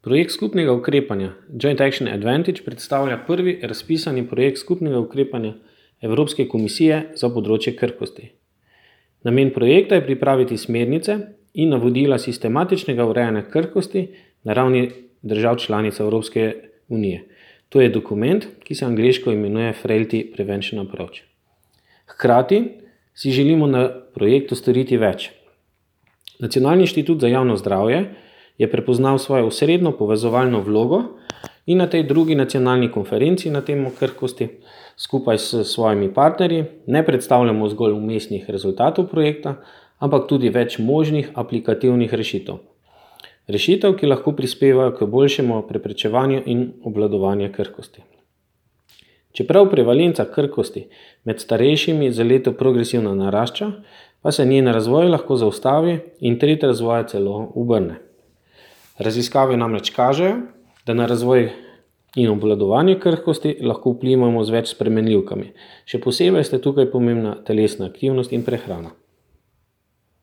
Projekt skupnega ukrepanja Joint Action Advantage predstavlja prvi razpisani projekt skupnega ukrepanja Evropske komisije za področje krhkosti. Namen projekta je pripraviti smernice in navodila sistematičnega urejanja krhkosti na ravni držav članic Evropske unije. To je dokument, ki se angleško imenuje Frailty Prevention Approach. Hkrati si želimo na projektu storiti več. Nacionalni inštitut za javno zdravje je prepoznal svojo osrednjo povezovalno vlogo in na tej drugi nacionalni konferenci na temo krhkosti skupaj s svojimi partnerji ne predstavljamo zgolj vmesnih rezultatov projekta, ampak tudi več možnih aplikativnih rešitev. Rešitev, ki lahko prispevajo k boljšemu preprečevanju in obvladovanju krhkosti. Čeprav prevalenca krhkosti med starejšimi za leto progresivno narašča, pa se njen razvoj lahko zaustavi in tretj razvoja celo obrne. Raziskave namreč kažejo, da na razvoj in obvladovanje krhkosti lahko vplivamo z več spremenljivkami. Še posebej sta tukaj pomembna telesna aktivnost in prehrana.